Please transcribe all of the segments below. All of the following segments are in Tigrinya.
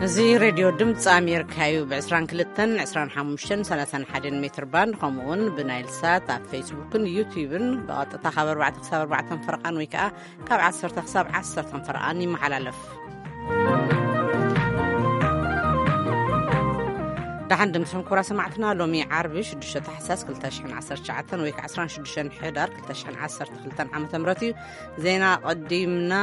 እዚ ሬድዮ ድምፂ ኣሜሪካ እዩ። ብ22፣ 25፣ 31 ሜትር ባንድ፣ ከምኡ እውን ብናይል ሳት ኣብ ፌስቡክን ዩቲዩብን ብቐጥታ ካብ ኣርባዕተ ክሳብ ኣርባዕተ ፈረቓን ወይ ከዓ ካብ ዓሰርተ ክሳብ ዓሰርተ ፈረቓን ይመሓላለፍ። ደሓን ድምፅኹም ክቡራ ሰማዕትና። ሎሚ ዓርቢ ሽዱሽተ ታሕሳስ ክልተ ሽሕን ዓሰርተ ትሽዓተን ወይ ከዓ ዕስራን ሽዱሽተን ሕዳር ክልተ ሽሕን ዓሰርተ ክልተን ዓመተ ምህረት እዩ። ዜና ቀዲምና።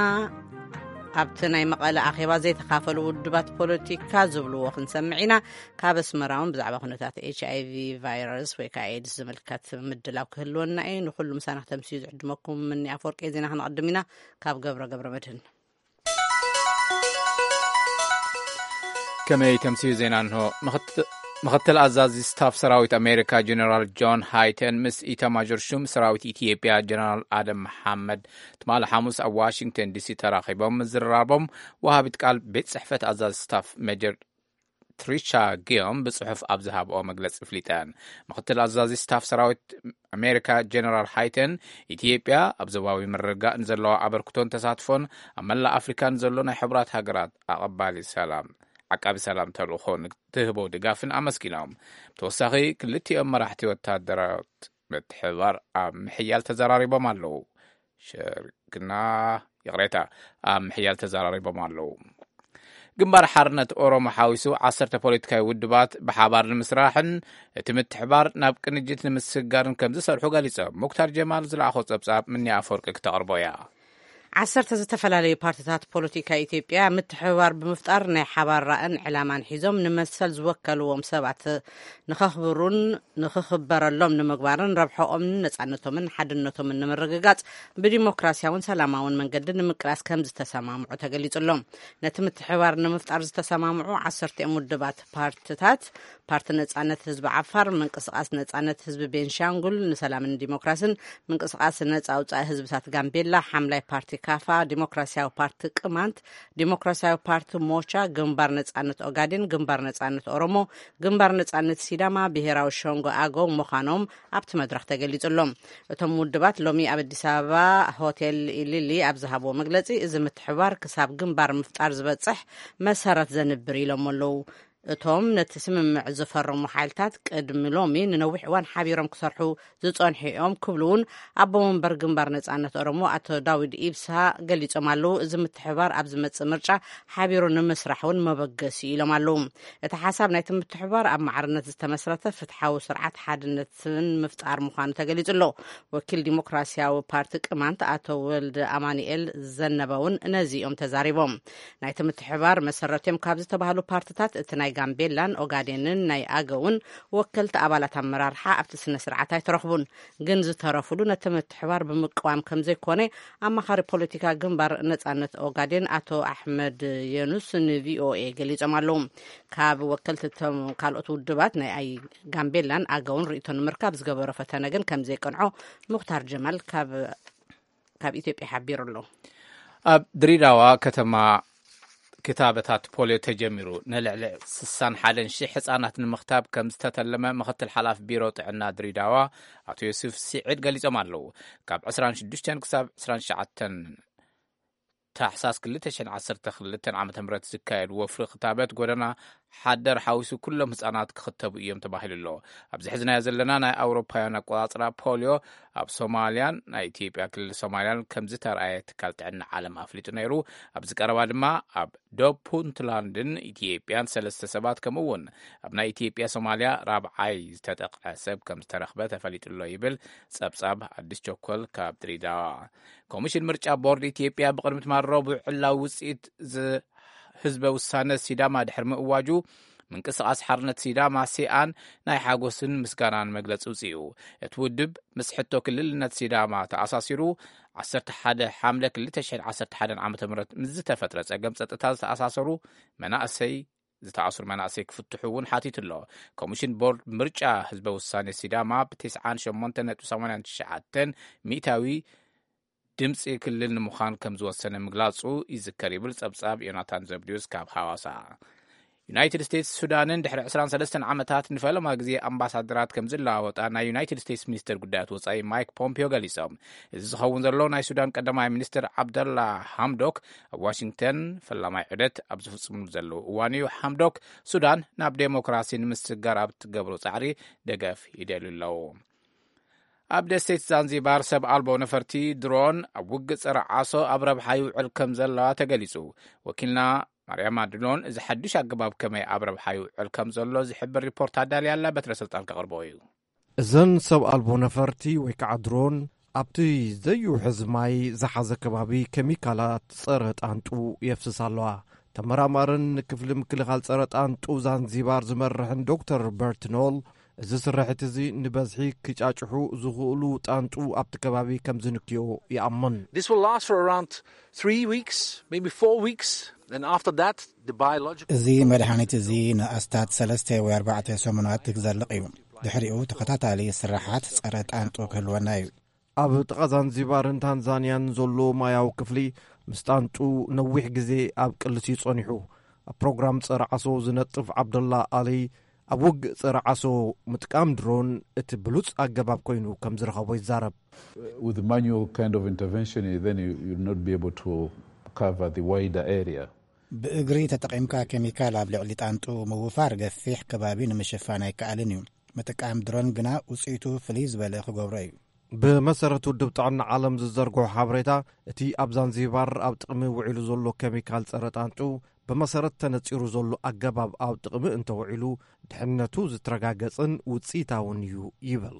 ኣብቲ ናይ መቐለ ኣኼባ ዘይተኻፈሉ ውድባት ፖለቲካ ዝብልዎ ክንሰምዕ ኢና። ካብ ኣስመራ እውን ብዛዕባ ኩነታት ኤች ኣይ ቪ ቫይረስ ወይ ከዓ ኤድስ ዝምልከት ምድላው ክህልወና እዩ። ንኩሉ ምሳና ክተምስዩ ዝዕድመኩም ምኒ ኣፈወርቂ። ዜና ክነቐድም ኢና። ካብ ገብረ ገብረ መድህን። ከመይ ተምስዩ ዜና እንሆ። ምኽት-፣ ምኽትል ኣዛዚ ስታፍ ሰራዊት ኣሜሪካ ጀነራል ጆን ሃይተን ምስ ኢታማዦር ሹም ሰራዊት ኢትዮጵያ ጀነራል ኣደም መሓመድ ትማሊ ሓሙስ ኣብ ዋሽንግተን ዲሲ ተራኺቦም ምዝርራቦም ወሃቢት ቃል ቤት ጽሕፈት ኣዛዚ ስታፍ ሜጀር ትሪቻ ጊዮም ብጽሑፍ ኣብ ዝሃብኦ መግለጺ ኣፍሊጠን። ምኽትል ኣዛዚ ስታፍ ሰራዊት ኣሜሪካ ጀነራል ሃይተን፣ ኢትዮጵያ ኣብ ዞባዊ ምርግጋእ ንዘለዋ ኣበርክቶን ተሳትፎን ኣብ መላእ ኣፍሪካ ንዘሎ ናይ ሕቡራት ሃገራት ኣቐባሊ ሰላም ዓቃቢ ሰላም ተልእኾ ንትህቦ ድጋፍን ኣመስጊኖም። ብተወሳኺ ክልቲኦም መራሕቲ ወታደራት ምትሕብባር ኣብ ምሕያል ተዘራሪቦም ኣለዉ። ሸርክና፣ ይቕሬታ፣ ኣብ ምሕያል ተዘራሪቦም ኣለዉ። ግንባር ሓርነት ኦሮሞ ሓዊሱ ዓሰርተ ፖለቲካዊ ውድባት ብሓባር ንምስራሕን እቲ ምትሕባር ናብ ቅንጅት ንምስግጋርን ከም ዝሰርሑ ገሊጾም። ሙክታር ጀማል ዝለኣኾ ጸብጻብ ምኒ ኣፈወርቂ ክተቕርቦ እያ። ዓሰርተ ዝተፈላለዩ ፓርቲታት ፖለቲካ ኢትዮጵያ ምትሕብባር ብምፍጣር ናይ ሓባር ራእን ዕላማን ሒዞም ንመሰል ዝወከልዎም ሰባት ንኸኽብሩን ንኽኽበረሎም ንምግባርን ረብሐኦምን ነጻነቶምን ሓድነቶምን ንምርግጋጽ ብዲሞክራሲያውን ሰላማውን መንገዲ ንምቅላስ ከም ዝተሰማምዑ ተገሊጹ ኣሎ። ነቲ ምትሕብባር ንምፍጣር ዝተሰማምዑ ዓሰርተ እዮም ውድባት ፓርቲታት፣ ፓርቲ ነጻነት ህዝቢ ዓፋር፣ ምንቅስቃስ ነጻነት ህዝቢ ቤንሻንጉል ንሰላምን ዲሞክራስን፣ ምንቅስቃስ ነጻ ኣውጻኢ ህዝብታት ጋምቤላ፣ ሓምላይ ፓርቲ ካፋ፣ ዲሞክራሲያዊ ፓርቲ ቅማንት፣ ዲሞክራሲያዊ ፓርቲ ሞቻ፣ ግንባር ነጻነት ኦጋዴን፣ ግንባር ነጻነት ኦሮሞ፣ ግንባር ነጻነት ሲዳማ፣ ብሄራዊ ሸንጎ ኣገው ምዃኖም ኣብቲ መድረኽ ተገሊጹ ኣሎ። እቶም ውድባት ሎሚ ኣብ ኣዲስ ኣበባ ሆቴል ኢሊሊ ኣብ ዝሃብዎ መግለጺ፣ እዚ ምትሕባር ክሳብ ግንባር ምፍጣር ዝበጽሕ መሰረት ዘንብር ኢሎም ኣለዉ። እቶም ነቲ ስምምዕ ዝፈረሙ ሓይልታት ቅድሚ ሎሚ ንነዊሕ እዋን ሓቢሮም ክሰርሑ ዝጸንሑ እዮም ክብሉ እውን ኣቦ መንበር ግንባር ነጻነት ኦሮሞ ኣቶ ዳዊድ ኢብሳ ገሊጾም ኣለዉ። እዚ ምትሕባር ኣብ ዝመጽእ ምርጫ ሓቢሩ ንምስራሕ እውን መበገሲ ኢሎም ኣለዉ። እቲ ሓሳብ ናይቲ ምትሕባር ኣብ ማዕርነት ዝተመስረተ ፍትሓዊ ስርዓት ሓድነትን ምፍጣር ምዃኑ ተገሊጹ ኣሎ። ወኪል ዲሞክራሲያዊ ፓርቲ ቅማንት ኣቶ ወልደ ኣማኑኤል ዘነበ እውን ነዚ እዮም ተዛሪቦም። ናይቲ ምትሕባር መሰረት እዮም ካብ ዝተባህሉ ፓርትታት እቲ ናይ ጋምቤላን ኦጋዴንን ናይ ኣገውን ወከልቲ ኣባላት ኣመራርሓ ኣብቲ ስነ ስርዓት ኣይተረኽቡን። ግን ዝተረፉሉ ነቲ ምትሕባር ብምቅዋም ከም ዘይኮነ ኣማኻሪ ፖለቲካ ግንባር ነጻነት ኦጋዴን ኣቶ ኣሕመድ የኑስ ንቪኦኤ ገሊጾም ኣለዉ። ካብ ወከልቲ እቶም ካልኦት ውድባት ናይ ኣይ ጋምቤላን ኣገውን ርእይቶ ንምርካብ ዝገበሮ ፈተነ ግን ከም ዘይቀንዖ ሙኽታር ጀማል ካብ ካብ ኢትዮጵያ ሓቢሩ ኣሎ። ኣብ ድሬዳዋ ከተማ ክታበታት ፖልዮ ተጀሚሩ። ንልዕሊ ስሳን ሓደን ሺሕ ህጻናት ንምኽታብ ከም ዝተተለመ ምኽትል ሓላፊ ቢሮ ጥዕና ድሬዳዋ ኣቶ ዮሱፍ ሲዒድ ገሊጾም ኣለዉ። ካብ ዕስራን ሽዱሽተን ክሳብ ዕስራን ትሽዓተን ታሕሳስ ክልተ ሽሕን ዓሰርተ ክልተን ዓመተ ምህረት ዝካየድ ወፍሪ ክታበት ጎደና ሓደር ሓዊሱ ኩሎም ህጻናት ክኽተቡ እዮም ተባሂሉ ኣሎ። ኣብዚ ሕዝናዮ ዘለና ናይ ኣውሮፓውያን ኣቆጻጽራ ፖልዮ ኣብ ሶማልያን ናይ ኢትዮጵያ ክልል ሶማልያን ከም ዝተርኣየ ትካል ጥዕና ዓለም ኣፍሊጡ ነይሩ። ኣብዚ ቀረባ ድማ ኣብ ዶብ ፑንትላንድን ኢትዮጵያን ሰለስተ ሰባት ከምኡ እውን ኣብ ናይ ኢትዮጵያ ሶማልያ ራብዓይ ዝተጠቕዐ ሰብ ከም ዝተረኽበ ተፈሊጡ ኣሎ ይብል ጸብጻብ ኣዲስ ቸኮል ካብ ድሬዳዋ። ኮሚሽን ምርጫ ቦርድ ኢትዮጵያ ብቕድሚ ትማል ረቡዕ ዕላዊ ውጽኢት ዝ-፣ ህዝበ ውሳነ ሲዳማ ድሕሪ ምእዋጁ፣ ምንቅስቓስ ሓርነት ሲዳማ ሲኣን ናይ ሓጎስን ምስጋናን መግለጺ ውጽኡ። እቲ ውድብ ምስ ሕቶ ክልልነት ሲዳማ ተኣሳሲሩ፣ ዓሰርተ ሓደ ሓምለ ክልተ ሽሕን ዓሰርተ ሓደን ዓመተ ምህረት ምስ ዝተፈጥረ ጸገም ጸጥታ ዝተኣሳሰሩ መናእሰይ፣ ዝተኣስሩ መናእሰይ ክፍትሑ እውን ሓቲቱ ኣሎ። ኮሚሽን ቦርድ ምርጫ ህዝበ ውሳነ ሲዳማ ብ ትስዓን ሸሞንተን ነጥቢ ሰማንያን ትሽዓተን ሚእታዊ ድምፂ ክልል ንምዃን ከም ዝወሰነ ምግላፁ ይዝከር ይብል ፀብፃብ ዮናታን ዘብድዮስ ካብ ሃዋሳ። ዩናይትድ ስቴትስ ሱዳንን ድሕሪ ዕስራን ሰለስተን ዓመታት ንፈለማ ግዜ ኣምባሳደራት ከም ዝለዋወጣ ናይ ዩናይትድ ስቴትስ ሚኒስትር ጉዳያት ወጻኢ ማይክ ፖምፒዮ ገሊጾም። እዚ ዝኸውን ዘሎ ናይ ሱዳን ቀዳማይ ሚኒስትር ዓብደላ ሓምዶክ ኣብ ዋሽንግተን ፈላማይ ዑደት ኣብ ዝፍጽምሉ ዘለዉ እዋን እዩ። ሓምዶክ ሱዳን ናብ ዴሞክራሲ ንምስግጋር ኣብ ትገብሮ ጻዕሪ ደገፍ ይደልዩ ኣለዉ። ኣብ ደሴት ዛንዚባር ሰብ ኣልቦ ነፈርቲ ድሮን ኣብ ውግእ ጸረ ዓሶ ኣብ ረብሓ ይውዕል ከም ዘለዋ ተገሊጹ። ወኪልና ማርያማ ድሎን እዚ ሓድሽ ኣገባብ ከመይ ኣብ ረብሓ ይውዕል ከም ዘሎ ዝሕብር ሪፖርት ኣዳልያ ኣላ። በትረ ስልጣን ከቕርቦ እዩ። እዘን ሰብ ኣልቦ ነፈርቲ ወይ ከዓ ድሮን ኣብቲ ዘይውሕዝ ማይ ዝሓዘ ከባቢ ኬሚካላት ጸረ ጣንጡ የፍስስ ኣለዋ። ተመራማርን ክፍሊ ምክልኻል ጸረ ጣንጡ ዛንዚባር ዝመርሕን ዶክተር በርትኖል፣ እዚ ስርሒት እዚ ንበዝሒ ክጫጭሑ ዝኽእሉ ጣንጡ ኣብቲ ከባቢ ከም ዝንክዮ ይኣምን። This will last for around three weeks, maybe four weeks. And after that, the biological እዚ መድሃኒት እዚ ንኣስታት ሰለስተ ወይ ኣርባዕተ ሰሙናት ክዘልቕ እዩ። ድሕሪኡ ተኸታታሊ ስራሓት ጸረ ጣንጡ ክህልወና እዩ። ኣብ ጥቓ ዛንዚባርን ታንዛንያን ዘሎ ማያዊ ክፍሊ ምስ ጣንጡ ነዊሕ ግዜ ኣብ ቅልስ እዩ ጸኒሑ። ኣብ ፕሮግራም ጸረ ዓሶ ዝነጥፍ ዓብደላ ኣሊ፣ ኣብ ውግእ ጸረ ዓሶ ምጥቃም ድሮን እቲ ብሉጽ ኣገባብ ኮይኑ ከም ዝረኸቦ ይዛረብ። With the manual kind of intervention, you- then you, you'll not be able to cover the wider area. ብእግሪ ተጠቒምካ ኬሚካል ኣብ ልዕሊ ጣንጡ ምውፋር ገፊሕ ከባቢ ንምሽፋን ኣይከኣልን እዩ። ምጥቃም ድሮን ግና ውፅኢቱ ፍልይ ዝበለ ክገብሮ እዩ። ብመሰረት ውድብ ጥዕና ዓለም ዝዘርግሖ ሓበሬታ፣ እቲ ኣብ ዛንዚባር ኣብ ጥቕሚ ውዒሉ ዘሎ ኬሚካል ጸረ ጣንጡ፣ ብመሰረት ተነጺሩ ዘሎ ኣገባብ ኣብ ጥቕሚ እንተውዒሉ፣ ድሕነቱ ዝተረጋገጸን ውጽኢታውን እዩ ይብል።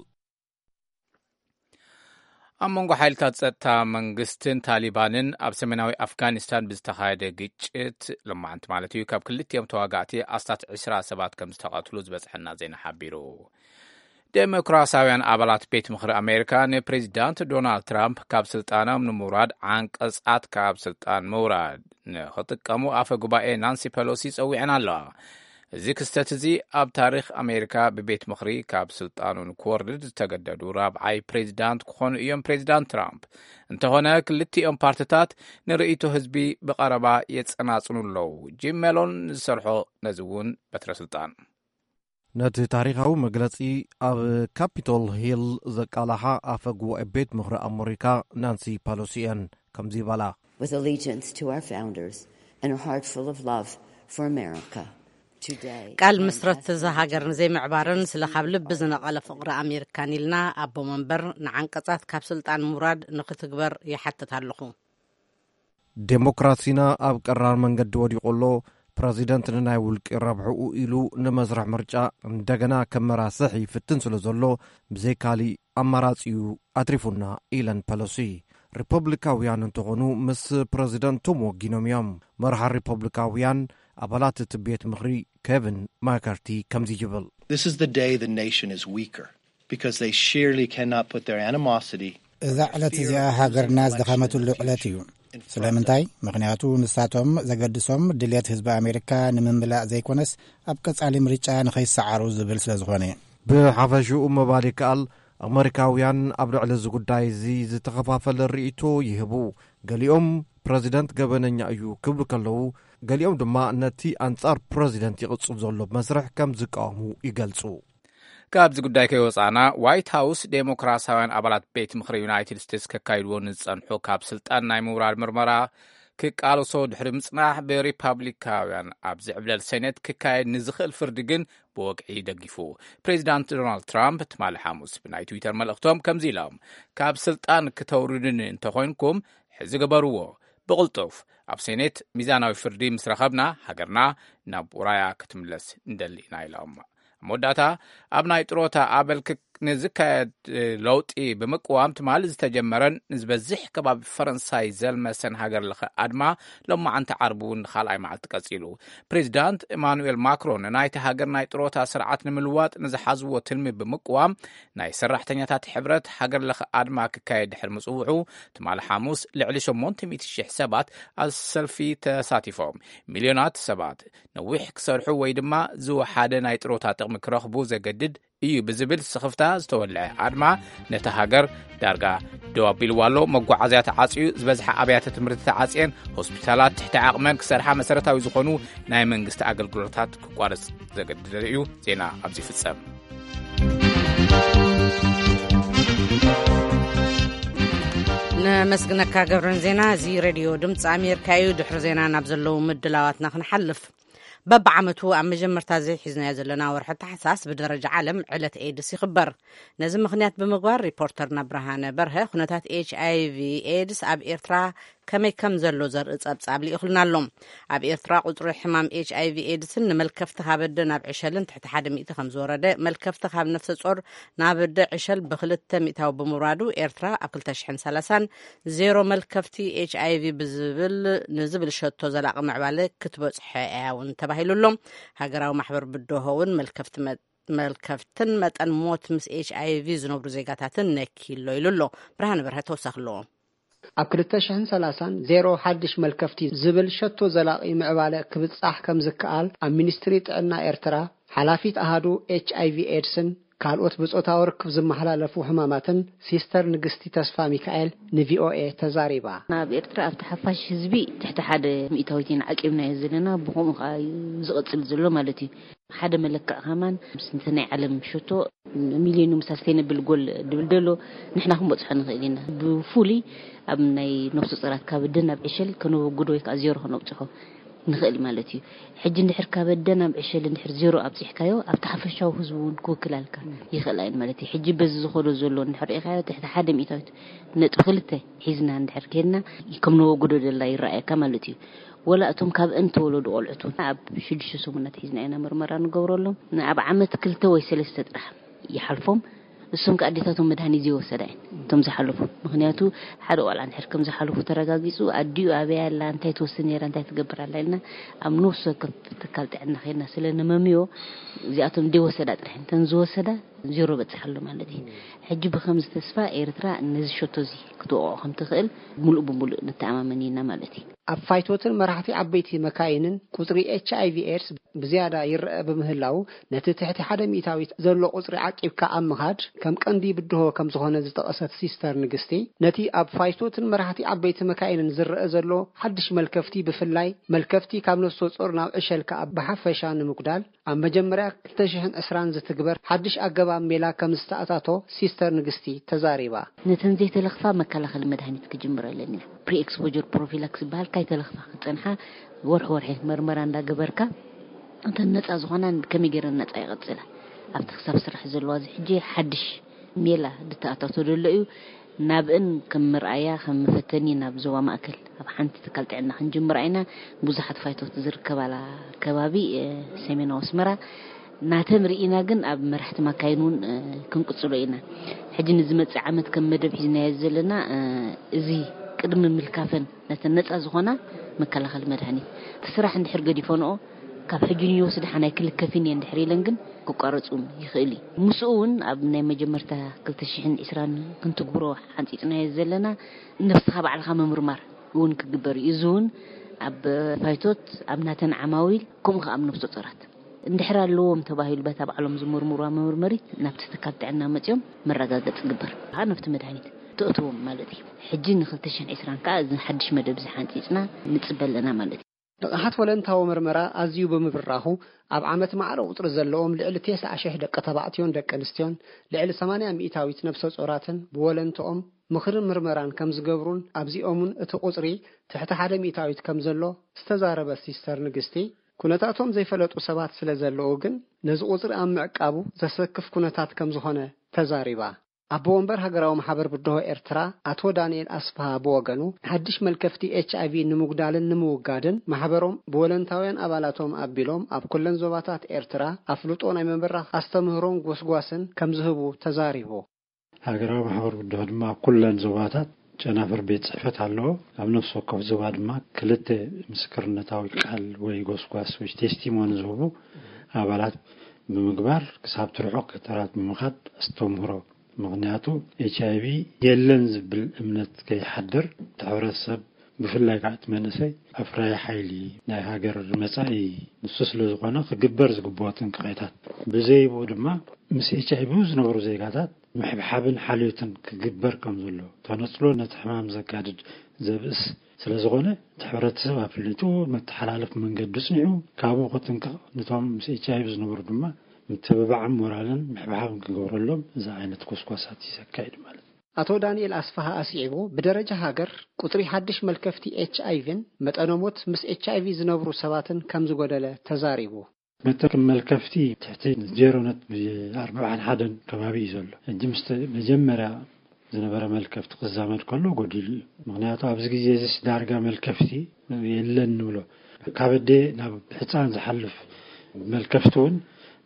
ኣብ መንጎ ሓይልታት ጸጥታ መንግስትን ታሊባንን ኣብ ሰሜናዊ ኣፍጋኒስታን ብዝተኻየደ ግጭት፣ ሎማዓንቲ ማለት እዩ፣ ካብ ክልቲኦም ተዋጋእቲ ኣስታት ዕስራ ሰባት ከም ዝተቐትሉ ዝበጽሐና ዜና ሓቢሩ። ዴሞክራሲያውያን ኣባላት ቤት ምኽሪ ኣሜሪካ ንፕሬዚዳንት ዶናልድ ትራምፕ ካብ ስልጣኖም ንምውራድ ዓንቀጻት ካብ ስልጣን ምውራድ ንኽጥቀሙ ኣፈ ጉባኤ ናንሲ ፐሎሲ ጸዊዐን ኣለዋ። እዚ ክስተት እዚ ኣብ ታሪኽ ኣሜሪካ ብቤት ምኽሪ ካብ ስልጣኑ ንክወርድ ዝተገደዱ ራብዓይ ፕሬዚዳንት ክኾኑ እዮም ፕሬዚዳንት ትራምፕ። እንተኾነ ክልቲኦም ፓርትታት ንርእይቶ ህዝቢ ብቐረባ የጸናጽኑ ኣለዉ። ጂም ሜሎን ንዝሰርሖ ነዚ እውን በትረ ስልጣን። ነቲ ታሪኻዊ መግለጺ ኣብ ካፒቶል ሂል ዘቃላሓ ኣፈ ጉባኤ ቤት ምኽሪ ኣመሪካ ናንሲ ፓሎሲ እየን ከምዚ ይበላ። With allegiance to our founders and a heart full of love for America. Today, ቃል ምስረት እዛ ሃገር ንዘይምዕባርን ስለ ካብ ልቢ ዝነቐለ ፍቕሪ ኣሜሪካን ኢልና ኣቦ መንበር ንዓንቀጻት ካብ ስልጣን ምውራድ ንክትግበር ይሓትት ኣለኹ። ዴሞክራሲና ኣብ ቀራር መንገዲ ወዲቑ ኣሎ። ፕረዚደንት ንናይ ውልቂ ረብሕኡ ኢሉ ንመስርሕ ምርጫ እንደገና ከመራስሕ ይፍትን ስለ ዘሎ፣ ብዘይ ካሊእ ኣማራጺ እዩ ኣትሪፉና ኢለን ፐሎሲ። ሪፐብሊካውያን እንተኾኑ ምስ ፕረዚደንቶም ወጊኖም እዮም። መርሓ ሪፐብሊካውያን ኣባላት እቲ ቤት ምኽሪ ኬቪን ማካርቲ ከምዚ ይብል። This is the day the nation is weaker because they surely cannot put their animosity እዛ ዕለት እዚኣ ሃገርና ዝደኸመትሉ ዕለት እዩ። ስለምንታይ? ምኽንያቱ ንሳቶም ዘገድሶም ድልየት ህዝቢ ኣሜሪካ ንምምላእ ዘይኮነስ ኣብ ቀጻሊ ምርጫ ንኸይሰዓሩ ዝብል ስለ ዝኾነ። ብሓፈሽኡ ምባል ይከኣል፣ ኣመሪካውያን ኣብ ልዕሊ እዚ ጉዳይ እዚ ዝተኸፋፈለ ርእይቶ ይህቡ። ገሊኦም ፕረዚደንት ገበነኛ እዩ ክብሉ ከለዉ፣ ገሊኦም ድማ ነቲ ኣንጻር ፕረዚደንት ይቕጽል ዘሎ መስርሕ ከም ዝቃወሙ ይገልጹ። ካብዚ ጉዳይ ከይወጻእና፣ ዋይት ሃውስ ዴሞክራሲያውያን ኣባላት ቤት ምኽሪ ዩናይትድ ስቴትስ ከካይድዎ ንዝጸንሑ ካብ ስልጣን ናይ ምውራድ ምርመራ ክቃለሶ ድሕሪ ምጽናሕ፣ ብሪፓብሊካውያን ኣብ ዝዕብለል ሴኔት ክካየድ ንዝኽእል ፍርዲ ግን ብወግዒ ደጊፉ። ፕሬዚዳንት ዶናልድ ትራምፕ ትማሊ ሓሙስ ብናይ ትዊተር መልእኽቶም ከምዚ ኢሎም፣ ካብ ስልጣን ክተውርዱኒ እንተኾይንኩም ሕዚ ግበርዎ፣ ብቕልጡፍ ኣብ ሴኔት ሚዛናዊ ፍርዲ ምስ ረኸብና ሃገርና ናብ ውራያ ክትምለስ ንደሊ ኢና ኢሎም። ኣብ መወዳእታ ኣብ ናይ ጥሮታ ኣበል ክክ- ንዝካየድ ለውጢ ብምቅዋም ትማሊ ዝተጀመረን ንዝበዝሕ ከባቢ ፈረንሳይ ዘልመሰን ሃገር ለኸ ኣድማ ሎማዓንቲ ዓርቢ እውን ንኻልኣይ መዓልቲ ቀጺሉ። ፕሬዚዳንት ኤማኑኤል ማክሮን ናይቲ ሃገር ናይ ጥሮታ ስርዓት ንምልዋጥ ንዝሓዝዎ ትልሚ ብምቅዋም ናይ ሰራሕተኛታት ሕብረት ሃገር ለኸ ኣድማ ክካየድ ድሕሪ ምጽውዑ ትማሊ ሓሙስ ልዕሊ ሸሞንተ ሚእቲ ሽሕ ሰባት ኣብ ሰልፊ ተሳቲፎም። ሚልዮናት ሰባት ነዊሕ ክሰርሑ ወይ ድማ ዝወሓደ ናይ ጥሮታ ጥቕሚ ክረኽቡ ዘገድድ እዩ ብዝብል ስኽፍታ ዝተወልዐ ኣድማ ነታ ሃገር ዳርጋ ደው ኣቢልዋ ኣሎ። መጓዓዝያ ተዓጽዩ፣ ዝበዝሐ ኣብያተ ትምህርቲ ተዓጽየን፣ ሆስፒታላት ትሕቲ ዓቕመን ክሰርሓ መሰረታዊ ዝኾኑ ናይ መንግስቲ ኣገልግሎታት ክቋረጽ ዘገድደ እዩ። ዜና ኣብዚ ይፍጸም። ነመስግነካ ገብረን ዜና። እዚ ሬድዮ ድምፂ ኣሜሪካ እዩ። ድሕሪ ዜና ናብ ዘለዉ ምድላዋትና ክንሓልፍ። በብዓመቱ ኣብ መጀመርታ ዘይሒዝናዮ ዘለና ወርሒ ታሕሳስ ብደረጃ ዓለም ዕለት ኤድስ ይኽበር። ነዚ ምኽንያት ብምግባር ሪፖርተርና ብርሃነ በርሀ ኩነታት ኤች ኣይ ቪ ኤድስ ኣብ ኤርትራ ከመይ ከም ዘሎ ዘርኢ ጸብጻብ ልኢኹልና ኣሎ። ኣብ ኤርትራ ቁጽሪ ሕማም ኤች ኣይ ቪ ኤድስን ንመልከፍቲ ካብ ኣደ ናብ ዕሸልን ትሕቲ ሓደ ሚእቲ ከም ዝወረደ፣ መልከፍቲ ካብ ነፍሰ ጾር ናብ ኣደ ዕሸል ብክልተ ሚእታዊ ብምውራዱ ኤርትራ ኣብ ክልተ ሽሕን ሰላሳን ዜሮ መልከፍቲ ኤች ኣይ ቪ ብዝብል ንዝብል ሸቶ ዘላቒ ምዕባለ ክትበጽሖ እያ እውን ተባሂሉ ኣሎ። ሃገራዊ ማሕበር ብድሆ እውን መልከፍቲ መ- መልከፍትን መጠን ሞት ምስ ኤች ኣይ ቪ ዝነብሩ ዜጋታትን ነኪሎ ኢሉ ኣሎ። ብርሃነ በርሀ ተወሳኺ ኣለዎ። ኣብ ክልተ ሽሕን ሰላሳን ዜሮ ሓድሽ መልከፍቲ ዝብል ሸቶ ዘላቒ ምዕባለ ክብጻሕ ከም ዝከኣል ኣብ ሚኒስትሪ ጥዕና ኤርትራ ሓላፊት ኣሃዱ ኤች ኣይ ቪ ኤድስን ካልኦት ብጾታዊ ርክብ ዝመሓላለፉ ሕማማትን ሲስተር ንግስቲ ተስፋ ሚካኤል ንቪ ኦ ኤ ተዛሪባ። ናብ ኤርትራ ኣብቲ ሓፋሽ ህዝቢ ትሕቲ ሓደ ሚእታዊት ኢና ዓቂብናዮ ዘለና፣ ብኸምኡ ከኣ እዩ ዝቕጽል ዘሎ ማለት እዩ። ሓደ መለክዕ ከማን ምስ እንተ ናይ ዓለም ሸቶ ሚሊዮን ምሳል ሰስተይነብል ጎል ድብል ደሎ ንሕና ክንበጽሖ ንኽእል ኢና። ብፍሉይ ኣብ ናይ ነፍሰ ጾራት ካብ ኣደ ናብ ዕሸል ከነወግዶ ወይ ከኣ ዜሮ ከነብጽሖ ንኽእል ማለት እዩ። ሕጂ እንድሕር ካብ ኣደ ናብ ዕሸል እንድሕር ዜሮ ኣብጺሕካዮ ኣብቲ ሓፈሻዊ ህዝቢ እውን ክውክላልካ ይኽእል ኣይን ማለት እዩ። ሕጂ በዚ ዝኾዶ ዘሎ እንድሕር ርኢኻዮ ትሕቲ ሓደ ሚእታዊት ነጥቢ ክልተ ሒዝና እንድሕር ከድና ከም ነወግዶ ደላ ይረኣየካ ማለት እዩ። ወላ እቶም ካብ እን ተወለዱ ቆልዑት እውን ኣብ ሽዱሽተ ሰሙናት ሒዝና ኢና ምርመራ ንገብረሎም። ኣብ ዓመት ክልተ ወይ ሰለስተ ጥራሕ ይሓልፎም። እሶም ከ ኣዴታቶም መድሃኒት ዘይወሰዳ እየን እቶም ዝሓለፉ። ምኽንያቱ ሓደ ቆልዓ እንድሕር ከም ዝሓለፉ ተረጋጊጹ ኣዲኡ ኣበይ ኣላ፣ እንታይ ትወስድ ነይራ፣ እንታይ ትገብር ኣላ ኢልና ኣብ ነፍሲ ወከፍ ትካል ጥዕና ከይድና ስለ ነመምዮ እዚኣቶም ዘይወሰዳ ጥራሕ እየን። እተን ዝወሰዳ ዜሮ በጽሕ ኣሎ ማለት እዩ። ሕጂ ብኸምዚ ተስፋ ኤርትራ ነዚ ሸቶ እዚ ክትወቕዖ ከም ትኽእል ምሉእ ብምሉእ ንተኣማመን ኢና ማለት እዩ። ኣብ ፋይቶትን መራሕቲ ዓበይቲ መካይንን ቁጽሪ ኤች ኣይ ቪ ኤድስ ብዝያዳ ይረአ ብምህላው ነቲ ትሕቲ ሓደ ሚእታዊት ዘሎ ቁጽሪ ዓቂብካ ኣብ ምኻድ ከም ቀንዲ ብድሆ ከም ዝኾነ ዝጠቐሰት ሲስተር ንግስቲ፣ ነቲ ኣብ ፋይቶትን መራሕቲ ዓበይቲ መካይንን ዝረአ ዘሎ ሓድሽ መልከፍቲ ብፍላይ መልከፍቲ ካብ ነፍሰ ጾር ናብ ዕሸል ከኣ ብሓፈሻ ንምጉዳል ኣብ መጀመርያ ክልተ ሽሕን ዕስራን ዝትግበር ሓድሽ ኣገባብ ሜላ ከም ዝተኣታቶ ሲስተር ንግስቲ ተዛሪባ። ነተን ዘይተለኽፋ መከላኸሊ መድሃኒት ክጅምረለን ኢና። ፕሪ ኤክስፖጀር ፕሮፊላክስ ዝበሃል ካይተለኽፋ ክጸንሓ ወርሒ ወርሒ መርመራ እንዳገበርካ እተን ነጻ ዝኾና ከመይ ገይረን ነጻ ይቐጽላ ኣብቲ ክሳብ ስራሕ ዘለዋ እዚ ሕጂ ሓድሽ ሜላ ዝተኣታቶ ዘሎ እዩ። ናብእን ከም ምርኣያ ከም መፈተኒ ናብ ዞባ ማእከል ኣብ ሓንቲ ትካል ጥዕና ክንጅምራ ኢና። ብዙሓት ፋይቶት ዝርከባላ ከባቢ ሰሜናዊ ኣስመራ ናተን ርኢና ግን ኣብ መራሕቲ ማካይን እውን ክንቅጽሎ ኢና። ሕጂ ንዝመጽእ ዓመት ከም መደብ ሒዝናዮ ዘለና እዚ ቅድሚ ምልካፈን ነተን ነጻ ዝኾና መከላኸሊ መድሃኒት እቲ ስራሕ እንድሕር ገዲፈንኦ ካብ ሕጂ ንዮስ ደሓን ኣይክልከፍን እየ እንድሕር ኢለን ግን ክቋረጹ ይኽእል እዩ። ምስኡ እውን ኣብ ናይ መጀመርታ ክልተ ሽሕን ዕስራን ክንትግብሮ ሓንጺጽናዮ ዘለና ነብስኻ ባዕልኻ ምምርማር እውን ክግበር እዩ። እዚ እውን ኣብ ፋይቶት ኣብ ናተን ዓማዊል ከምኡ ከኣ ኣብ ነፍሰ ጾራት እንድሕር ኣለዎም ተባሂሉ በታ ባዕሎም ዝምርምርዋ መመርመሪት ናብቲ ትካል ጥዕና መጺኦም መረጋገጺ ግበር ከኣ ናብቲ መድሃኒት ተእትዎም ማለት እዩ። ሕጂ ን ክልተ ሽሕን ዕስራን ከኣ እዚ ሓድሽ መደብ እዚ ሓንጺጽና ንጽበ ኣለና ማለት እዩ። ንቕሓት ወለንታዊ መርመራ ኣዝዩ ብምብራኹ ኣብ ዓመት ማዕረ ቁጽሪ ዘለዎም ልዕሊ ተስዓ ሽሕ ደቂ ተባዕትዮን ደቂ ኣንስትዮን ልዕሊ ሰማንያ ሚእታዊት ነብሰ ጾራትን ብወለንትኦም ምኽርን ምርመራን ከም ዝገብሩን ኣብዚኦምን እቲ ቁጽሪ ትሕቲ ሓደ ሚእታዊት ከም ዘሎ ዝተዛረበት ሲስተር ንግስቲ፣ ኩነታቶም ዘይፈለጡ ሰባት ስለ ዘለዉ ግን ነዚ ቁጽሪ ኣብ ምዕቃቡ ዘሰክፍ ኩነታት ከም ዝኾነ ተዛሪባ። ኣቦ ወንበር ሃገራዊ ማሕበር ብድሆ ኤርትራ ኣቶ ዳንኤል ኣስፍሃ ብወገኑ፣ ሓድሽ መልከፍቲ ኤች ኣይ ቪ ንምጉዳልን ንምውጋድን ማሕበሮም ብወለንታውያን ኣባላቶም ኣቢሎም ኣብ ኩለን ዞባታት ኤርትራ ኣፍልጦ ናይ ምብራኽ ኣስተምህሮን ጎስጓስን ከም ዝህቡ ተዛሪቡ። ሃገራዊ ማሕበር ብድሆ ድማ ኣብ ኩለን ዞባታት ጨናፍር ቤት ጽሕፈት ኣለዎ። ኣብ ነፍሲ ወከፍ ዞባ ድማ ክልተ ምስክርነታዊ ቃል ወይ ጎስጓስ ወይ ቴስቲሞኒ ዝህቡ ኣባላት ብምግባር ክሳብ ትርሑቕ ከተራት ብምኻድ ኣስተምህሮ። ምኽንያቱ ኤች ኣይ ቪ የለን ዝብል እምነት ከይሓድር እቲ ሕብረተሰብ ብፍላይ ከዓ እቲ መንእሰይ ኣፍራይ ሓይሊ ናይ ሃገር መጻኢ ንሱ ስለ ዝኾነ ክግበር ዝግብኦ ጥንቃቄታት ብዘይብኡ ድማ ምስ ኤች ኣይ ቪ ዝነበሩ ዜጋታት ምሕብሓብን ሓልዮትን ክግበር ከም ዘሎ ተነጽሎ ነቲ ሕማም ዘጋድድ ዘብእስ ስለ ዝኾነ እቲ ሕብረተሰብ ኣፍሊጡ መተሓላለፍ መንገዲ ጽኒዑ ካብኡ ክጥንቀቕ ነቶም ምስ ኤች ኣይ ቪ ዝነበሩ ድማ ምትብባዕን ሞራልን ምሕብሓብን ክገብረሎም እዚ ዓይነት ኮስኳሳት ዘካይድ ማለት እዩ። ኣቶ ዳንኤል ኣስፋሃ ኣስዒቡ ብደረጃ ሃገር ቁጽሪ ሓድሽ መልከፍቲ ኤች ኣይ ቪን መጠነ ሞት ምስ ኤች ኣይ ቪ ዝነብሩ ሰባትን ከም ዝጎደለ ተዛሪቡ። መጠን መልከፍቲ ትሕቲ ዜሮ ነጥቢ ኣርባዓን ሓደን ከባቢ እዩ ዘሎ። ሕጂ ምስ መጀመርያ ዝነበረ መልከፍቲ ክዛመድ ከሎ ጎዲሉ እዩ። ምክንያቱ ኣብዚ ግዜ እዚስ ዳርጋ መልከፍቲ የለን ንብሎ። ካብ ኣደ ናብ ሕፃን ዝሓልፍ መልከፍቲ እውን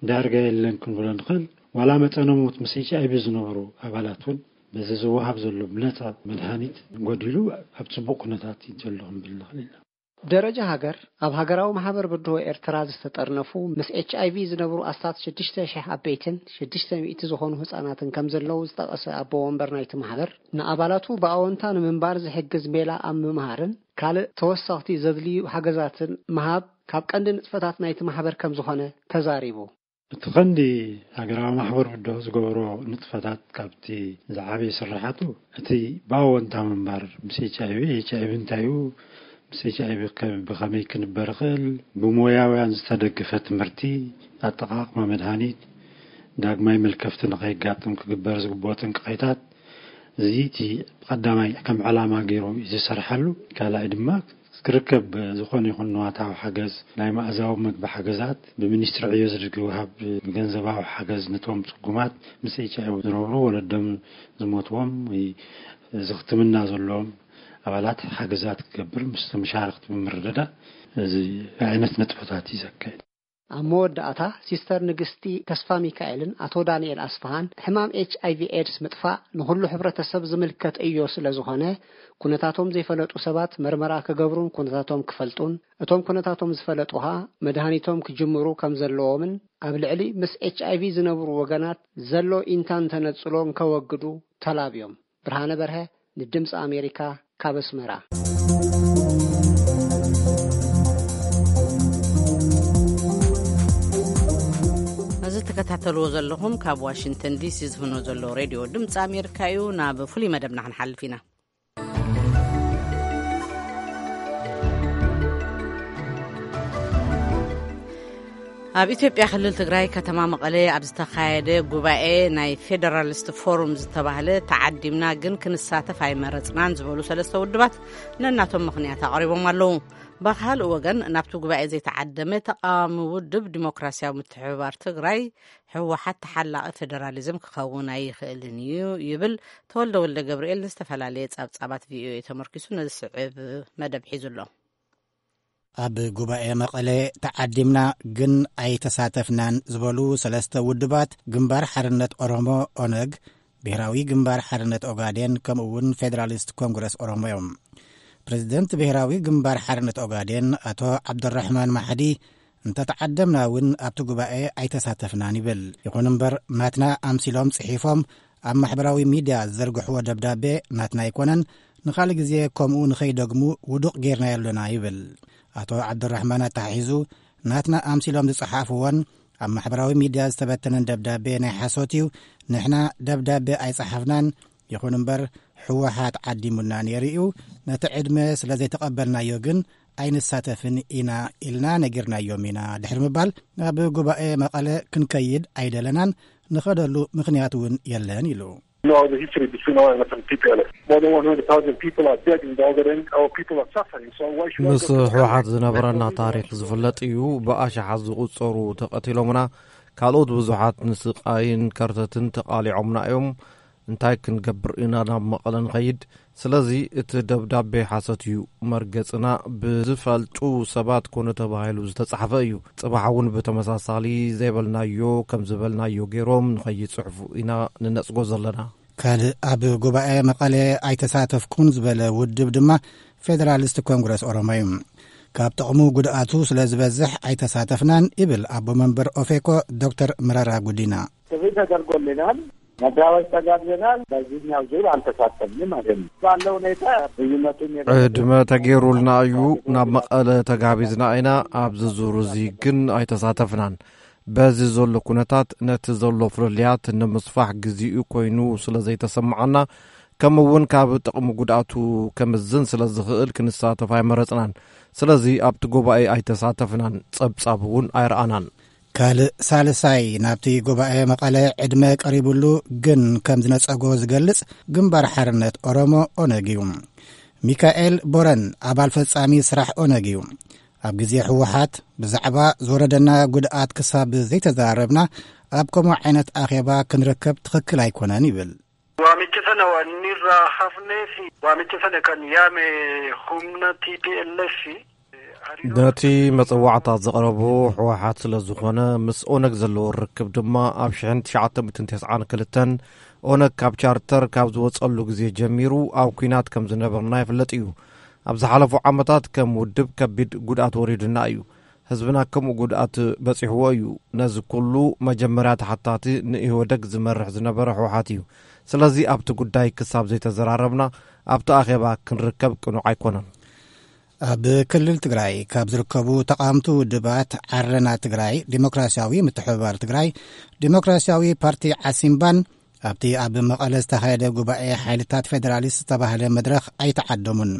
ዳርጋ የለን ክንብሎ ንኽእል። ዋላ መጠነ ሞት ምስ ኤች ኣይ ቪ ዝነበሩ ኣባላት እውን በዚ ዝወሃብ ዘሎ ብነፃ መድሃኒት ጎዲሉ ኣብ ፅቡቕ ኩነታት እዩ ዘሎ ክንብል ንኽእል ኢና። ደረጃ ሃገር ኣብ ሃገራዊ ማሕበር ብድሆ ኤርትራ ዝተጠርነፉ ምስ ኤች ኣይ ቪ ዝነብሩ ኣስታት ሽዱሽተ ሺሕ ዓበይትን ሽዱሽተ ሚእቲ ዝኾኑ ህጻናትን ከም ዘለዉ ዝጠቐሰ ኣቦ ወንበር ናይቲ ማሕበር ንኣባላቱ ብኣወንታ ንምንባር ዝሕግዝ ሜላ ኣብ ምምሃርን ካልእ ተወሰኽቲ ዘድልዩ ሓገዛትን ምሃብ ካብ ቀንዲ ንጥፈታት ናይቲ ማሕበር ከም ዝኾነ ተዛሪቡ። እቲ ቀንዲ ሃገራዊ ማሕበር ብድሆ ዝገብሮ ንጥፈታት ካብቲ ዝዓበየ ስራሓቱ እቲ ብኣወንታ ምንባር ምስ ኤች ኣይ ቪ፣ ኤች ኣይ ቪ እንታይ እዩ፣ ምስ ኤች ኣይ ቪ ከ-፣ ብኸመይ ክንበር ይኽእል፣ ብሞያውያን ዝተደገፈ ትምህርቲ፣ ኣጠቓቕማ መድሃኒት፣ ዳግማይ መልከፍቲ ንኸየጋጥም ክግበር ዝግብኦ ጥንቃቄታት፣ እዚ እቲ ቀዳማይ ከም ዕላማ ገይሩ እዩ ዝሰርሓሉ። ካልኣይ ድማ ክርከብ ዝኾነ ይኹን ንዋታዊ ሓገዝ፣ ናይ መኣዛዊ መግቢ ሓገዛት ብሚኒስትሪ ዕዮ ዝድግፍ ወሃብ ገንዘባዊ ሓገዝ ነቶም ጽጉማት ምስ ኤች ኣይ ቪ ዝነብሩ ወለዶም ዝሞትዎም ወይ እዚ ሕክምና ዘለዎም ኣባላት ሓገዛት ክገብር ምስ መሻርክቲ ብምርድዳእ እዚ ዓይነት ነጥብታት እዩ ዘካየድ። ኣብ መወዳእታ ሲስተር ንግስቲ ተስፋ ሚካኤልን ኣቶ ዳንኤል ኣስፍሃን ሕማም ኤች ኣይ ቪ ኤድስ ምጥፋእ ንኹሉ ሕብረተሰብ ዝምልከት እዮ ስለ ዝኾነ ኩነታቶም ዘይፈለጡ ሰባት መርመራ ክገብሩን ኩነታቶም ክፈልጡን እቶም ኩነታቶም ዝፈለጡ ኸኣ መድሃኒቶም ክጅምሩ ከም ዘለዎምን ኣብ ልዕሊ ምስ ኤች ኣይ ቪ ዝነብሩ ወገናት ዘሎ ኢንታን ተነጽሎን ከወግዱ ተላብዮም። ብርሃነ በርሀ ንድምፂ ኣሜሪካ ካብ ኣስመራ። እዚ ትከታተልዎ ዘለኹም ካብ ዋሽንግተን ዲሲ ዝፍኖ ዘሎ ሬድዮ ድምፂ ኣሜሪካ እዩ። ናብ ፍሉይ መደብና ክንሓልፍ ኢና። ኣብ ኢትዮጵያ ክልል ትግራይ ከተማ መቐለ ኣብ ዝተኻየደ ጉባኤ ናይ ፌደራሊስት ፎሩም ዝተባህለ ተዓዲምና ግን ክንሳተፍ ኣይመረፅናን ዝበሉ ሰለስተ ውድባት ነናቶም ምኽንያት ኣቕሪቦም ኣለዉ። ብኻልእ ወገን ናብቲ ጉባኤ ዘይተዓደመ ተቃዋሚ ውድብ ዲሞክራሲያዊ ምትሕብባር ትግራይ ህወሓት ተሓላቒ ፌደራሊዝም ክኸውን ኣይኽእልን እዩ ይብል። ተወልደ ወልደ ገብርኤል ዝተፈላለየ ጸብጻባት ቪኦኤ ተመርኪሱ ነዚ ስዕብ መደብ ሒዙ ኣሎ። ኣብ ጉባኤ መቐለ ተዓዲምና ግን ኣይተሳተፍናን ዝበሉ ሰለስተ ውድባት ግንባር ሓርነት ኦሮሞ ኦነግ፣ ብሔራዊ ግንባር ሓርነት ኦጋዴን ከምኡ እውን ፌደራሊስት ኮንግረስ ኦሮሞ እዮም። ፕሬዚደንት ብሔራዊ ግንባር ሓርነት ኦጋዴን ኣቶ ዓብደራሕማን ማሕዲ እንተተዓደምና እውን ኣብቲ ጉባኤ ኣይተሳተፍናን ይብል። ይኹን እምበር ናትና ኣምሲሎም ጽሒፎም ኣብ ማሕበራዊ ሚድያ ዝዘርግሕዎ ደብዳቤ ናትና ኣይኮነን፣ ንኻልእ ግዜ ከምኡ ንኸይደግሙ ውዱቕ ጌርናዮ ኣለና ይብል። ኣቶ ዓብደራሕማን ኣተሓሒዙ ናትና ኣምሲሎም ዝጸሓፍዎን ኣብ ማሕበራዊ ሚድያ ዝተበተነን ደብዳቤ ናይ ሓሶት እዩ። ንሕና ደብዳቤ ኣይጸሓፍናን። ይኹን እምበር ህወሓት ዓዲሙና ነይሩ እዩ። ነቲ ዕድመ ስለ ዘይተቐበልናዮ ግን ኣይንሳተፍን ኢና ኢልና ነጊርናዮም ኢና ድሕሪ ምባል ናብ ጉባኤ መቐለ ክንከይድ ኣይደለናን፣ ንኸደሉ ምኽንያት እውን የለን ኢሉ። You know the history between O N L F and T P L F. More than one hundred thousand people are dead in the Ogaden. Our people are suffering. So why should I ምስ go to ህወሓት ዝነበረና ታሪክ ዝፍለጥ እዩ። ብኣሽሓት ዝቑጸሩ ተቐቲሎምና፣ ካልኦት ብዙሓት ንስቓይን ከርተትን ተቓሊዖምና እዮም። እንታይ ክንገብር ኢና ናብ መቐለ ንኸይድ? ስለዚ እቲ ደብዳቤ ሓሰት እዩ። መርገጽና ብዝፈልጡ ሰባት ኮነ ተባሂሉ ዝተጻሕፈ እዩ። ጽባሕ እውን ብተመሳሳሊ ዘይበልናዮ ከም ዝበልናዮ ገይሮም ንኸይጽሕፉ ኢና ንነጽጎ ዘለና። ካልእ ኣብ ጉባኤ መቐለ ኣይተሳተፍኩን ዝበለ ውድብ ድማ ፌደራሊስት ኮንግረስ ኦሮሞ እዩ። ካብ ጥቕሙ ጉድኣቱ ስለ ዝበዝሕ ኣይተሳተፍናን ይብል ኣቦ መንበር ኦፌኮ ዶክተር መረራ ጉዲና። ጥሪ ተደርጎልናል። መጋባሽ ተጋብዘናል። በዚህኛው ዙር አልተሳተፍንም ማለት ነው። ባለው ሁኔታ ልዩነቱን የበለጠ ዕድመ ተገይሩልና እዩ። ናብ መቐለ ተጋቢዝና ኢና። ኣብዚ ዙር እዚ ግን ኣይተሳተፍናን። በዚ ዘሎ ኩነታት ነቲ ዘሎ ፍልልያት ንምስፋሕ ግዜኡ ኮይኑ ስለ ዘይተሰምዓና፣ ከምኡ እውን ካብ ጥቕሚ ጉድኣቱ ከምዝን ስለ ዝኽእል ክንሳተፍ ኣይመረጽናን። ስለዚ ኣብቲ ጉባኤ ኣይተሳተፍናን፣ ጸብጻብ እውን ኣይረኣናን። ካልእ ሳልሳይ ናብቲ ጉባኤ መቐለ ዕድመ ቀሪቡሉ ግን ከም ዝነጸጎ ዝገልጽ ግንባር ሓርነት ኦሮሞ፣ ኦነግ፣ እዩ። ሚካኤል ቦረን ኣባል ፈጻሚ ስራሕ ኦነግ እዩ። ኣብ ግዜ ህወሓት ብዛዕባ ዝወረደና ጉድኣት ክሳብ ዘይተዛረብና ኣብ ከምኡ ዓይነት ኣኼባ ክንርከብ ትኽክል ኣይኮነን ይብል። Waamicha sana waan inni irraa hafnee fi waamicha sana kan yaame humna T P L F ነቲ መጸዋዕታ ዘቕረቦ ህወሓት ስለ ዝኾነ፣ ምስ ኦነግ ዘለዎ ርክብ ድማ ኣብ ሽሕን ትሽዓተ ሚእትን ተስዓን ክልተን ኦነግ ካብ ቻርተር ካብ ዝወጸሉ ግዜ ጀሚሩ ኣብ ኲናት ከም ዝነበርና ይፍለጥ እዩ። ኣብ ዝሓለፉ ዓመታት ከም ውድብ ከቢድ ጉድኣት ወሪዱና እዩ። ህዝብና ከምኡ ጉድኣት በጺሕዎ እዩ። ነዚ ኩሉ መጀመርያ ተሓታቲ ንኢህወደግ ዝመርሕ ዝነበረ ህወሓት እዩ። ስለዚ ኣብቲ ጉዳይ ክሳብ ዘይተዘራረብና ኣብቲ ኣኼባ ክንርከብ ቅኑዕ ኣይኮነን። ኣብ ክልል ትግራይ ካብ ዝርከቡ ተቓወምቲ ውድባት ዓረና ትግራይ፣ ዲሞክራሲያዊ ምትሕብባር ትግራይ፣ ዲሞክራሲያዊ ፓርቲ ዓሲምባን ኣብቲ ኣብ መቐለ ዝተኻየደ ጉባኤ ሓይልታት ፌደራሊስት ዝተባህለ መድረኽ ኣይተዓደሙን።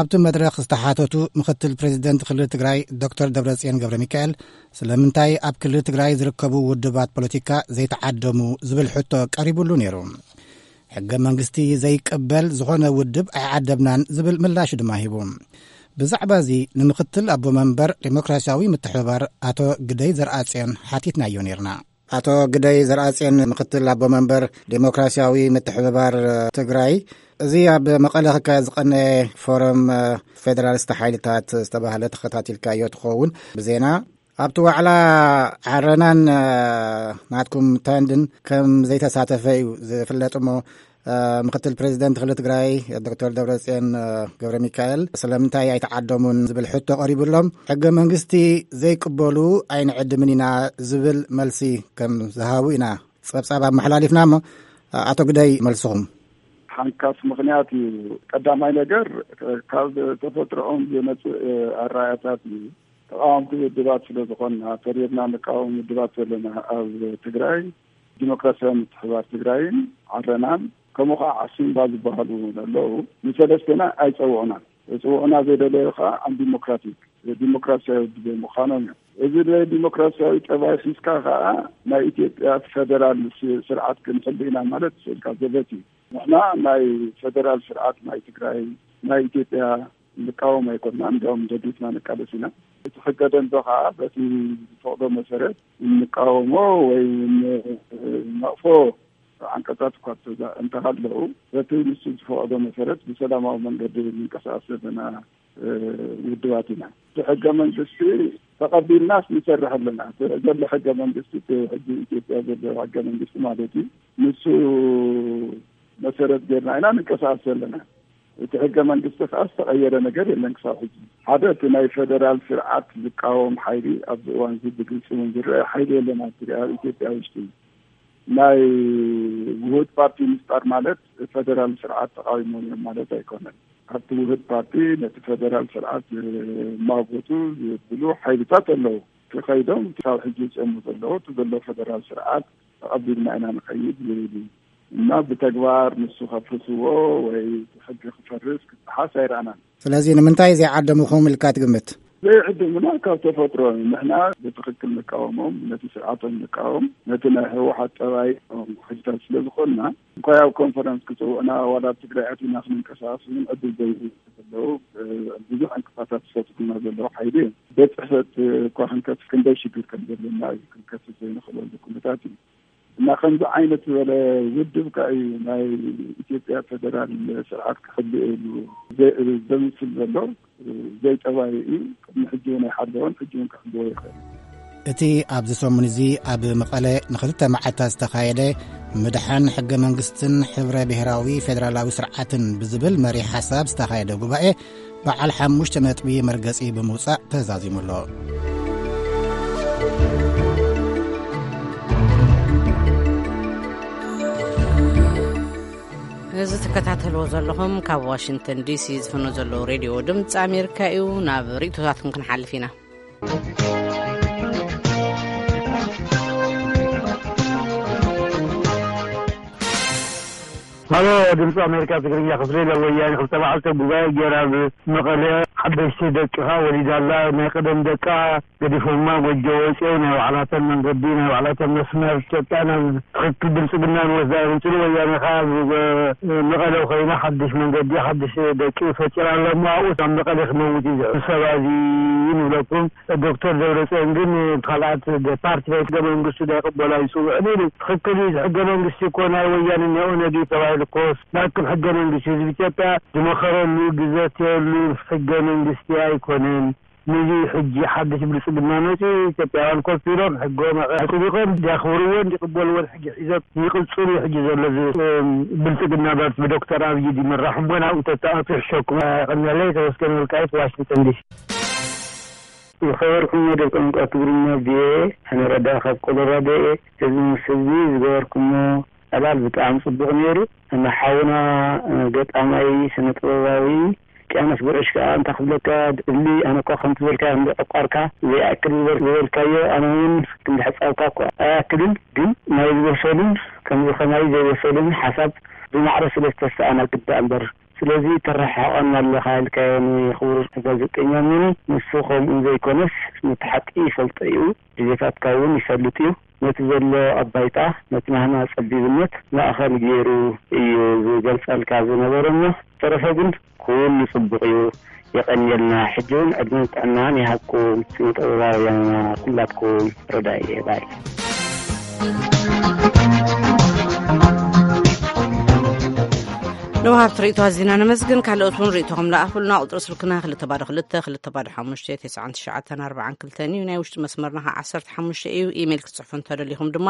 ኣብቲ መድረኽ ዝተሓተቱ ምክትል ፕሬዚደንት ክልል ትግራይ ዶክተር ደብረጽዮን ገብረ ሚካኤል ስለምንታይ ኣብ ክልል ትግራይ ዝርከቡ ውድባት ፖለቲካ ዘይተዓደሙ ዝብል ሕቶ ቀሪቡሉ ነይሩ። ሕገ መንግስቲ ዘይቅበል ዝኾነ ውድብ ኣይዓደምናን ዝብል ምላሽ ድማ ሂቡ። ብዛዕባ እዚ ንምክትል ኣቦ መንበር ዴሞክራሲያዊ ምትሕብባር ኣቶ ግደይ ዘርኣጽዮን ሓቲትናዮ ነይርና። ኣቶ ግደይ ዘርኣጽዮን፣ ምክትል ኣቦ መንበር ዴሞክራሲያዊ ምትሕብባር ትግራይ፣ እዚ ኣብ መቐለ ክካየድ ዝቐነየ ፎረም ፌደራሊስት ሓይልታት ዝተባህለ ተኸታቲልካዮ ትኸውን ብዜና። ኣብቲ ዋዕላ ዓረናን ናትኩም ተንድን ከም ዘይተሳተፈ እዩ ዝፍለጥ እሞ፣ ምክትል ፕሬዚደንት ክልል ትግራይ ዶክተር ደብረጽዮን ገብረ ሚካኤል ስለምንታይ ኣይተዓደሙን ዝብል ሕቶ ቀሪቡሎም፣ ሕገ መንግስቲ ዘይቅበሉ ኣይንዕድምን ኢና ዝብል መልሲ ከም ዝሃቡ ኢና ጸብጻብ ኣመሓላሊፍና እሞ፣ ኣቶ ግደይ፣ መልስኹም። ሓንካስ ምኽንያት እዩ። ቀዳማይ ነገር፣ ካብ ተፈጥሮኦም ዝመጽእ ኣራያታት እዩ። ተቃወምቲ ውድባት ስለ ዝኾንና፣ ፈሪርና ንቃወም ውድባት ዘለና ኣብ ትግራይ፣ ዲሞክራሲያዊ ምትሕባር ትግራይን ዓረናን፣ ከምኡ ከዓ ዓሲምባ ዝበሃሉ ኣለዉ፣ ንሰለስትና ኣይጸውዑናን። ዝጽውዑና ዘይደለዩ ከዓ ኣን ዲሞክራቲክ፣ ዲሞክራሲያዊ ብዘይምዃኖም እዮም። እዚ ናይ ዲሞክራሲያዊ ጠባይ ሒዝካ ከዓ ናይ ኢትዮጵያ ፌደራል ስ-፣ ስርዓት ክንሕሉ ኢና ማለት ስእልካ ዘበት እዩ። ንሕና ናይ ፌደራል ስርዓት ናይ ትግራይ፣ ናይ ኢትዮጵያ ንቃወም ኣይኮንና፣ እንዲያውም ደጊፍና ንቃለስ ኢና። እቲ ሕገ ደንቢ ከዓ በቲ ዝፈቕዶ መሰረት እንቃወሞ ወይ ንነቕፎ ዓንቀጻት እኳ እንተዛ-፣ እንተሃለዉ፣ በቲ ንሱ ዝፈቕዶ መሰረት ብሰላማዊ መንገዲ ንንቀሳቐስ ዘለና፣ እ፣ ውድባት ኢና። እቲ ሕገ መንግስቲ ተቐቢልናስ ንሰርሕ ኣለና። እቲ ዘሎ ሕገ መንግስቲ፣ እቲ ሕጂ ኢትዮጵያ ዘሎ ሕገ መንግስቲ ማለት እዩ። ንሱ መሰረት ጌርና ኢና ንንቀሳቐስ ዘለና። እቲ ሕገ መንግስቲ ከዓ ዝተቐየረ ነገር የለን ክሳብ ሕጂ። ሓደ፣ እቲ ናይ ፌደራል ስርዓት ዝቃወም ሓይሊ ኣብዚ እዋን እዚ ብግልፂ እውን ዝረአ ሓይሊ የለን ኣብ ትግራይ፣ ኣብ ኢትዮጵያ ውሽጢ። ናይ ውሁድ ፓርቲ ምፍጣር ማለት ፌደራል ስርዓት ተቃዊሞም እዮም ማለት ኣይኮነን። ኣብቲ ውሁድ ፓርቲ ነቲ ፌደራል ስርዓት ዝማጎቱ ዝብሉ ሓይልታት ኣለዉ። ተኸይዶም ክሳብ ሕጂ ዝፀሙ ዘለዉ እቲ ዘሎ ፌደራል ስርዓት ተቐቢልና ኢና ንኸይድ ዝብል እዩ። እና ብተግባር ንሱ ከፍርስዎ ወይ እቲ ሕጊ ክፈርስ ክጠሓስ ኣይረኣናን። ስለዚ ንምንታይ ዘይዓደምኹም ኢልካ ትግምት? ዘይዕድምና ካብ ተፈጥሮ እዩ። ንሕና ብትኽክል ንቃወሞም፣ ነቲ ስርዓቶም ንቃወም፣ ነቲ ናይ ህወሓት ጠባይ ሕጅታት ስለ ዝኾንና፣ እንኳ ኣብ ኮንፈረንስ ክጽውዑና ዋላ ኣብ ትግራይ ኣቲና ክንንቀሳቐስ እውን ዕድል ዘይህቡ ዘለዉ፣ እ፣ ብዙሕ ዕንቅፋታት ዝፈጥሩና ዘለዉ ሓይሊ እዮም። ቤት ጽሕፈት እኳ ክንከፍት ክንደይ ሽግር ከም ዘለና እዩ፣ ክንከፍት ዘይንኽእለሉ ኩነታት እዩ። እና ከምዚ ዓይነት ዝበለ ውድብ ከኣ እዩ ናይ ኢትዮጵያ ፌደራል ስርዓት ክሕልእ ኢሉ ዘ-፣ ዘምስል ዘሎ። ዘይጠባይ እዩ። ቅድሚ ሕጂ እውን ኣይሓለወን፣ ሕጂ እውን ክሕልዎ ይኽእል። እቲ ኣብዚ ሰሙን እዚ ኣብ መቐለ ንኽልተ መዓልታት ዝተኻየደ ምድሓን ሕገ መንግስትን ሕብረ ብሔራዊ ፌደራላዊ ስርዓትን ብዝብል መሪሕ ሓሳብ ዝተኻየደ ጉባኤ በዓል ሓሙሽተ ነጥቢ መርገጺ ብምውጻእ ተዛዚሙ ኣሎ። እዚ ትከታተልዎ ዘለኹም ካብ ዋሽንግተን ዲሲ ዝፍኖ ዘለዉ ሬድዮ ድምፂ ኣሜሪካ እዩ። ናብ ርእይቶታትኩም ክንሓልፍ ኢና። ሃሎ፣ ድምፂ ኣሜሪካ ትግርኛ ክፍሊ፣ ወያኔ ክልተ መዓልቲ ጉባኤ ገይራ ኣብ መቐለ ሓደሽቲ ደቅኻ ወሊዳላ። ናይ ቀደም ደቃ ገዲፎማ ጎጆ ወፂኦም ናይ ባዕላተን መንገዲ፣ ናይ ባዕላተን መስመር ኢትዮጵያ ናብ ትኽክል ብልፅግና ንወስዳ እዮም ዝብሉ። ወያነ ከዓ ኣብ መቐለ ኮይና ሓድሽ መንገዲ ሓድሽ ደቂ ፈጢራ ኣላ እሞ ኣብኡ ናብ መቐለ ክመውት እዩ ዝሕሰብ። እዚ ንብለኩም ዶክተር ደብረፅዮን ግን ካልኣት ፓርቲ ናይ ሕገ መንግስቱ ዳይቅበሉ ኣይፅውዕን ኢሉ። ትኽክል እዩ። ሕገ መንግስቲ እኮ ናይ ወያነ ናይ ኦነግ እዩ ተባሂሉ እኮ ናክብ ሕገ መንግስቲ ህዝቢ ኢትዮጵያ ዝመኸረሉ ዝዘተየሉ ሕገ መንግስቲ ኣይኮነን። ነዚ ሕጂ ሓድሽ ብልፅግና መፂኡ ኢትዮጵያውያን ኮፍ ኢሎም ሕጎም ኣፅዲቆም እንዲያኽብርዎን እንዲቅበልዎን ሕጂ ሒዞም ይቅፅሉ እዩ። ሕጂ ዘሎ እዚ ብልፅግና ፓርቲ ብዶክተር ኣብይ ዝመራሕ እሞ ናብኡ ተተኣቱ ይሕሸኩም። ቀነለይ ተመስገን ወልቃይት ዋሽንግተን ዲሲ። ዝኸበርኩም መደብ ቋንቋ ትግርኛ ቪኦኤ፣ ኣነ ረዳ ካብ ኮሎራዶ እየ። ህዝቢ ምስ ህዝቢ ዝገበርኩሞ ዕላል ብጣዕሚ ጽቡቕ ነይሩ። ንሓውና ገጣማይ ስነ ጥበባዊ ቅያኖስ ጉዕሽ ከኣ እንታይ ክብለካ፣ እሊ ኣነ እኳ ከምቲ ዝበልካዮ እንዲ ዕቋርካ ዘይኣክል ዝበል-፣ ዝበልካዮ ኣነ እውን ክንዲ ሕጻብካ እኳ ኣይኣክልን፣ ግን ናይ ዝበሰሉን ከምዚ ከማይ ዘይበሰሉን ሓሳብ ብማዕረ ስለ ዝተሰኣናግድ ደኣ እምበር። ስለዚ ተረሓሓቐና ኣለኻ ኢልካዮ ንክቡር ጋዜጠኛ ሚኒ፣ ንሱ ከምኡ ዘይኮነስ ነቲ ሓቂ ይፈልጦ እዩ፣ ድሌታትካ እውን ይፈልጥ እዩ። ነቲ ዘሎ ኣብ ባይታ፣ ነቲ ናህና ጸቢብነት ማእኸል ገይሩ እዩ ዝገልጸልካ ዝነበረ እሞ፣ ዝተረፈ ግን ኩሉ ጽቡቕ እዩ። የቐንየልና። ሕጂ እውን ዕድመን ጥዕናን ይሃብኩም ስነ ጥበባውያንና ኩላትኩም። ረዳኢ እየ ባይ። ንወሃብቲ ርእይቶ ኣዚና ነመስግን። ካልኦት እውን ርእይቶኹም ለኣኹልና። ቁጽሪ ስልክና ክልተ ባዶ ክልተ፣ ክልተ ባዶ ሓሙሽተ፣ ተስዓን ትሽዓተን ኣርባዓን ክልተን እዩ። ናይ ውሽጢ መስመርና ከዓ ዓሰርተ ሓሙሽተ እዩ። ኢሜይል ክትጽሕፉ እንተደሊኹም ድማ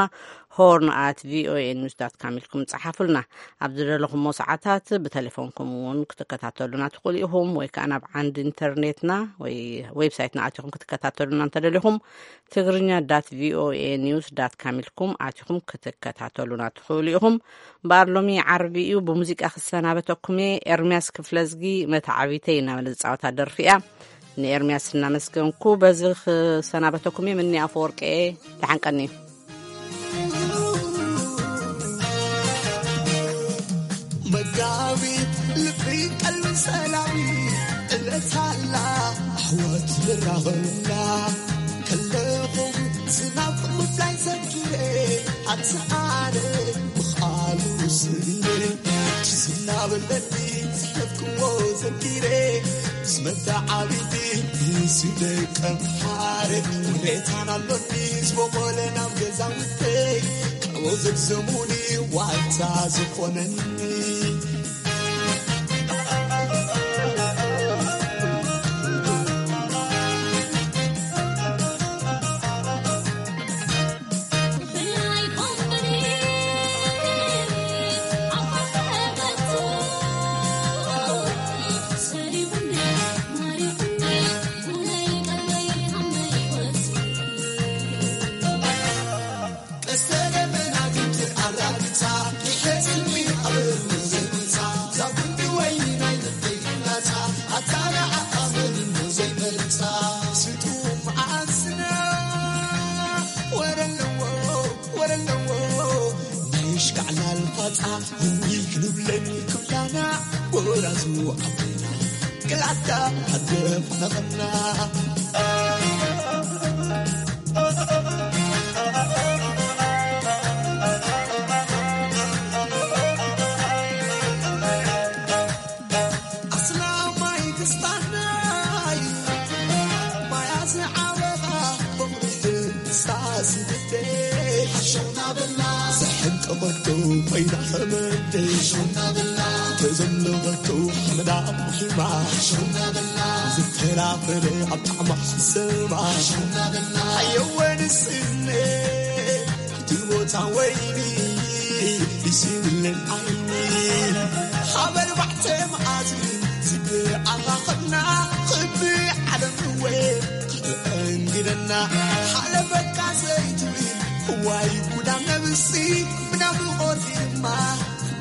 ሆርን ኣት ቪኦኤ ኒውስ ዳት ካም ኢልኩም ጸሓፉልና። ኣብ ዝደለኹሞ ሰዓታት ብቴሌፎንኩም እውን ክትከታተሉና ትኽእሉ ኢኹም፣ ወይ ከኣ ናብ ዓንዲ ኢንተርኔትና ወይ ዌብሳይትና ኣቲኹም ክትከታተሉና እንተደሊኹም ትግርኛ ዳት ቪኦኤ ኒውስ ዳት ካም ኢልኩም ኣቲኹም ክትከታተሉና ትኽእሉ ኢኹም። እምበኣር ሎሚ ዓርቢ እዩ፣ ብሙዚቃ ክሰናበተኩም እየ። ኤርምያስ ክፍለዝጊ መተዓቢተይ እናበለ ዝጻወታ ደርፊ እያ። ንኤርምያስ እናመስገንኩ በዚ ክሰናበተኩም እየ። ምኒ ኣፈወርቂ እየ። ደሓን ቀኒ። መጋቢት ልቢ ቀልቢ ሰላም እለታላ ኣሕዋት ልራኸብላ ከለኹም ዝናብ ምፍላይ ዘኪረ ኣቲ ኣነ ምኻሉ ስለ ዝናበለኒ ዝሕለፍክዎ ዘኪረ ምስ መተዓቢቲ ንስደቀም ሓረ ውሬታን ኣሎኒ ዝበቆለ ናብ ገዛውተይ ካብኡ ዘግዘሙኒ ዋልታ ዝኾነኒ።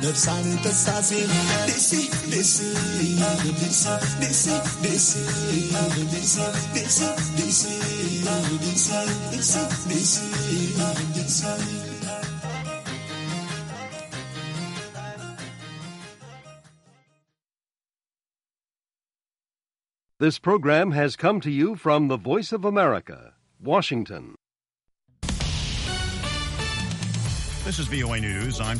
ነብሳን ተሳሲ ዲሲ ዲሲ ዲሲ ዲሲ ዲሲ ዲሲ ዲሲ ዲሲ ዲሲ ዲሲ ዲሲ This program has come to you from the Voice of America, Washington. This is V O A News. I'm